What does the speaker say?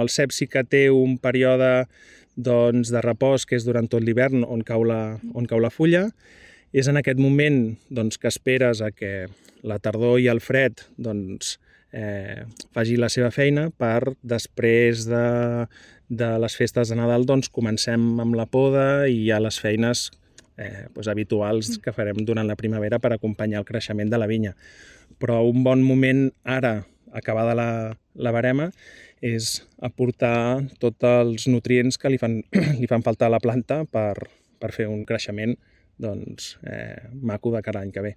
El cep sí que té un període de repòs, que és durant tot l'hivern on cau la fulla. És en aquest moment que esperes a que la tardor i el fred faci la seva feina per després de les festes de Nadal comencem amb la poda i hi ha les feines habituals que farem durant la primavera per acompanyar el creixement de la vinya. Però un bon moment ara, acabada la verema, és aportar tots els nutrients que li fan falta a la planta per fer un creixement maco de cara a l'any que ve.